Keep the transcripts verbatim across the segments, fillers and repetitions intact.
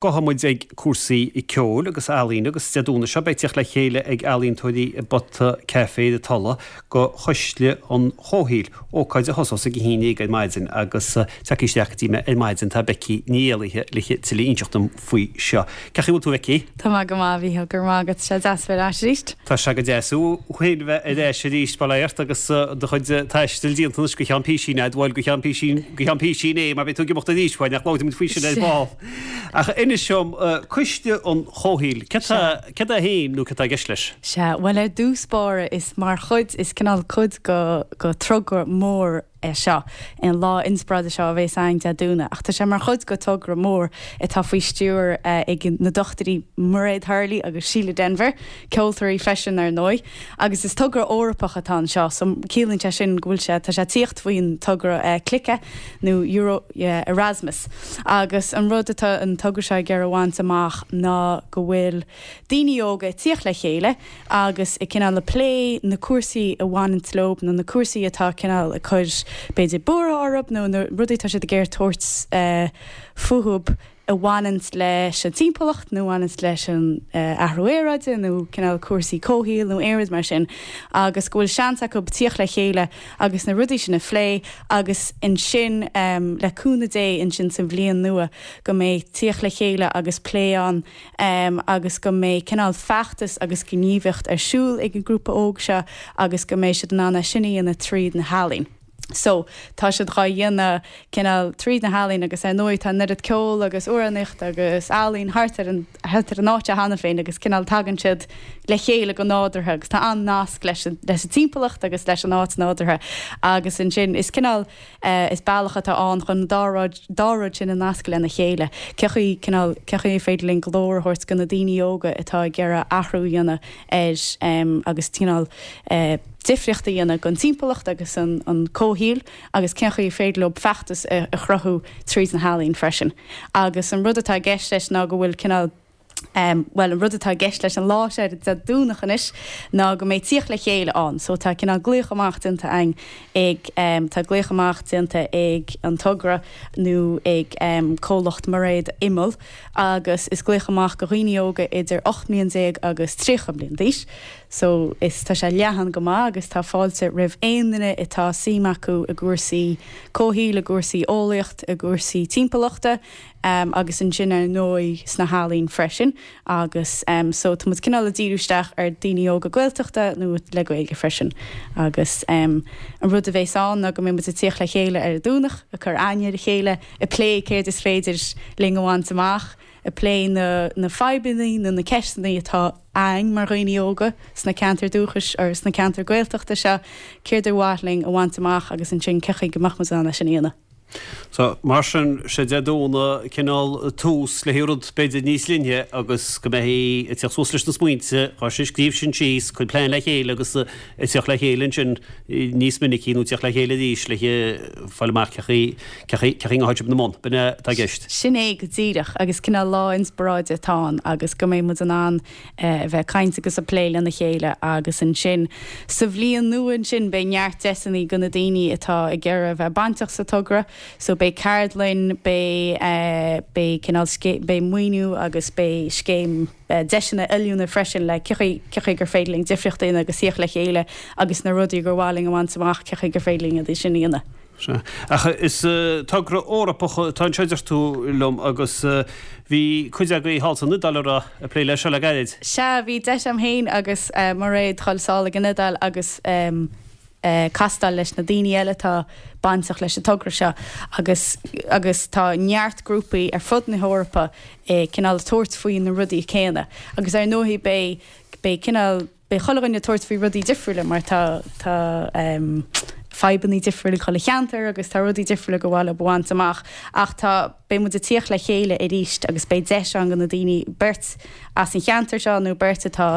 Gabhfaidh muid ag cúrsaí ceoil agus ealaíne agus Dé Domhnaigh seo beidh tíocht le chéile ag ealaíontóirí i bPota Café na Tulaí go Cuisle an Chomhshaoil, ócáid a thosós ag a haon déag ar maidin agus tagtha isteach go dtí mé ar maidin tá Becky Ní Éalaithe le tuilleadh a inseacht dom faoi seo. Cén chaoi a bhfuil tú Becky? Tá mé go maith Mhícheál go raibh maith agat sé deas bheith ar ais arís. Tá sé go deas thú féin bheith ar ais arís bail ort agus do chuid taistil déanta anois go ceann písín bhuel go ceann písín go ceann písín é mar beidh tú ag imeacht arís uaidh nach labhróidh muid faoi sin ar ball. Ach inis dom Cuisle an Chomhshaoil, céard é féin nó céard atá i gceist leis? Sea, bhuel ar dtús báire is mar chuid, is cineál cuid go go togra mór é seo, an lá inspioráide seo a bheas ann Dé Domhnaigh, ach tá sé mar chuid go togra mór atá faoi stiúir ag na dochtúirí Mairéad Hurley agus Síle Denvir, ceoltóirí freisin ar ndóigh, agus is togra Eorpach atá anseo, so ciallaíonn sé sin go bhfuil sé, tá sé ag tíocht faoin togra Clica nó Euro Erasmus. Agus an rud atá an togra seo ag iarraidh a bhaint amach ná go bhfuil daoine óga ag tíocht le chéile agus ag cineál ag plé na cúrsaí a bhaineann leo nó na cúrsaí atá cineál ag cur b'fhéidir buartha orthu nó na rudaí atá siad ag iarraidh tabhairt fúthu a bhaineann leis an timpeallacht nó a bhaineann leis an athrú aeráide nó cineál cúrsaí comhshaoil nó aon rud mar sin agus go bhfuil seans acu tíocht le chéile agus na rudaí sin a phlé agus ansin le cúnamh Dé ansin sa bhliain nua go mbeidh tíocht le chéile agus plé ann agus go mbeidh cineál feachtas agus gníomhaíocht ar siúl ag an grúpa óg seo agus go mbeidh siad in ann é sin a dhéanamh tríd na healaín. So tá siad dhá dhéanamh cineál tríd na healaín agus ar ndóigh tá an oiread ceol agus amhránaíocht agus ealaín thart ar an thart ar an áit cheana féin agus cineál tagann siad le chéile go nádúrtha agus tá an-nasc leis an leis an timpeallacht agus leis an áit nádúrtha agus ansin is cineál is bealach atá ann chun dá rud dá rud sin a nasc lena chéile. Cén chaoi cineál cén chaoi féidir linn glór a thabhairt go na daoine óga atá ag iarraidh athrú a dhéanamh ar agus cineál difríocht a dhéanamh don timpeallacht agus an an comhshaoil agus cén chaoi féidir leo feachtas a chruthú tríd na healaín freisin. Agus an rud atá i gceist leis ná go bhfuil cineál Um, well an rud atá i gceist leis an lá sé Dé Domhnach anois ná go mbeidh tíocht le chéile ann, so tá cineál glaoch amach déanta ag ag um, tá glaoch amach déanta ag an togra nó ag um, comhlacht Mairéad Imeall agus is glaoch amach go dhaoine óga idir ocht mbliana déag agus tríocha bliain d'aois. So is tá sé leathan go maith agus tá fáilte roimh aon duine atá suim acu i gcúrsaí comhshaoil i gcúrsaí eolaíocht i gcúrsaí timpeallachta um, agus ansin ar ndóigh sna healaín freisin agus um, so tá muid cineál ag díriú isteach ar daoine óga Gaeltachta nó le Gaeilge freisin agus um, an rud a bheas ann ná go mbeidh muid ag tíocht le chéile ar an Domhnach ag cur aithne ar a chéile ag plé céard is féidir linn a bhaint amach ag plé na, na fadhbanna nó na ceisteanna atá ann mar dhaoine óga sna ceantar dúchais or sna ceantar Gaeltachta seo céard ar mhaith linn a bhaint amach agus ansin cén chaoi go mbeadh muid in ann sin a dhéanamh. So mar sin sé Dé Domhnaigh cineál tús le rud b'fhéidir níos leithne agus go mbeidh ag teacht suas leis na smaointe chun sin scríobh sin síos chun plean le chéile agus ag teacht le chéile ansin níos minicí nó teacht le chéile arís le fáil amach cén chaoi a na mbun b'in atá i gceist. Sin é go díreach agus cineál lá inspioráide atá ann agus go mbeidh muid in ann a bheith caint agus a plé lena chéile agus ansin sa bhliain nua ansin beidh neart deiseanna go na daoine atá ag iarraidh bheith bainteach sa togra, so beidh ceardlann beidh uh, beidh cineál beidh maoiniú agus beidh scéim uh, deiseanna oiliúna freisin le cén chaoi gur féidir linn difríocht a dhéanamh agus tíocht le chéile agus na rudaí gur mhaith linn a bhaint amach cén chaoi gur féidir linn iad sin a dhéanamh. Ach is uh, togra Eorpach atá anseo deir tú liom agus uh, bhí cuid agaibh thall san Iodáil a ag plé leis seo le gairid. Sea bhí deis agam féin agus uh, Mairéad dul sall ag an Iodáil agus um, uh, castáil leis na daoine eile atá bainteach leis an togra seo agus agus tá neart grúpaí ar fud na hEorpa eh, cineál tabhairt faoi na rudaí céanna. Agus ar ndóigh beidh beidh cineál beidh chuile dhuine tabhairt faoi rudaí difriúla mar tá tá um, fadhbanna difriúla chuile cheantar agus tá rudaí difriúla go bhfuil a bhaint amach ach tá beidh muid ag tíocht le chéile arís agus beidh deis an go na daoine beirt as an cheantar seo nó beirt atá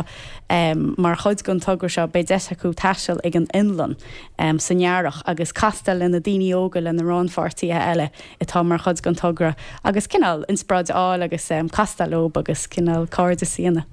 um, mar chuid den togra seo beidh deis acu taisteal ag an Fhionlainn um, san earrach agus castáil le na daoine óga le na rannpháirtithe eile atá mar chuid den togra agus cineál inspioráid a fháil agus um, castáil leo agus cineál cairdeas a dhéanamh.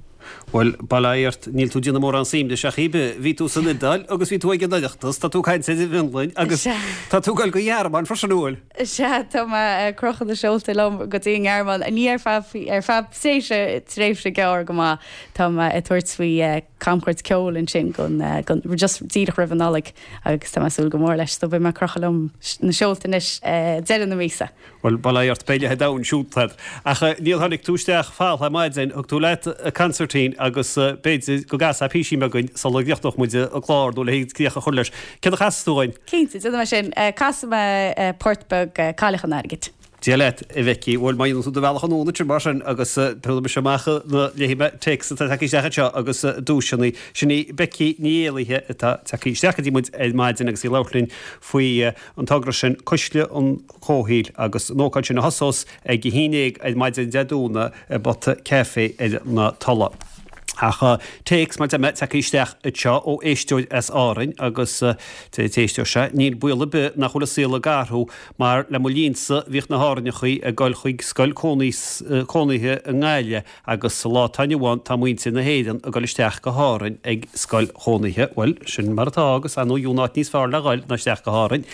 Bhuel, bail ó Dhia ort, níl tú ag déanamh mórán suim de seach bith. Bhí tú san Iodáil agus bhí tú ag an Oireachtas, tá tú ag caint ar an bhFionlainn agus tá tú ag dul go Gearmáin freisin, an bhfuil? Sea, tá mé ag crochadh na seolta liom go dtí an nGearmáin, ní ar feadh, ar feadh tréimhse, tréimhse gearr go maith. Tá mé ag tabhairt faoi camchuairt ceoil ansin gon, gon, just díreach roimh an Nollaig agus tá mé ag súil go mór leis, so beidh mé ag crochadh liom na seolta anois deireadh na míosa. Bhuel, bail ó Dhia ort, beidh leath an domhain siúlta agat. Ach níor tháinig tú isteach fall ar maidin, thug tú leat consairtín agus b'fhéidir go gcasfá písín beag dúinn sula gcríochnódh muid an clár nó le críoch a chur leis. Céard a chasfas tú dhúinn? Cinnte, déanfaidh mé sin. Casfaidh mé port beag Cailleach an Airgid. Dia leat, a Bheicí. Bhuel, má dhéanann tú do bhealach anonn ansin mar sin agus tabharfaidh mise amach na léifidh mé téacs atá tagtha isteach anseo agus duaiseanna. Sin í Becky Ní Éalaithe atá tagtha isteach go dtí muid ar maidin agus í ag labhairt linn faoi an togra sin Cuisle an Chomhshaoil agus an ócáid sin a thosós ag a haon déag ar maidin Dé Domhnaigh i bPota Café ar na Tulaigh. Ach téacs, mar deir mé, tagtha isteach anseo ó éisteoir as Árainn agus deir an t-éisteoir seo, níl baol ar bith nach bhfuil an saol ag athrú mar le mo linnsa bhíodh na hÁrainneachaí ag dul chuig scoil cónaithe i nGaillimh agus sa lá atá inniu ann tá muintir na hÉireann ag dul isteach go hÁrainn ag scoil chónaithe. Bhuel, sin mar atá agus ar ndóigh gheobhaidh áit níos fearr le dhul ná isteach go hÁrainn.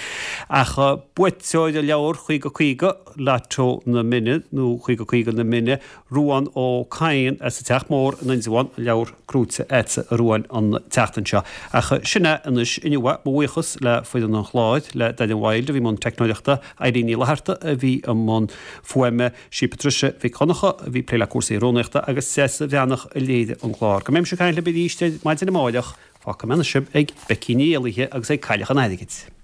Ach buaiteoir an leabhair Caoga Caoga, Lotto na Mine nó Caoga Caoga na Mine, Ruán Ó Cadhain as an Teach Mór in Indreabhán, an leabhar gnóite agat a Ruáin an tseachtain seo. Ach sin é anois inniu é. Mo bhuíochas le foireann an chláir, le Darren Wilde a bhí i mbun teicneoireachta, Eileen Ní Fhlatharta a bhí i mbun fuaime, sí Patricia Mhic Dhonncha a bhí ag plé le cúrsaí rúnaíochta agus Treasa Bhreathnach a léirigh an clár. Go mbeimis ag caint libh arís ar maidin amárach, fágfaidh mé anois sibh ag Becky Ní Éalaithe agus ag Cailleach an Airgid.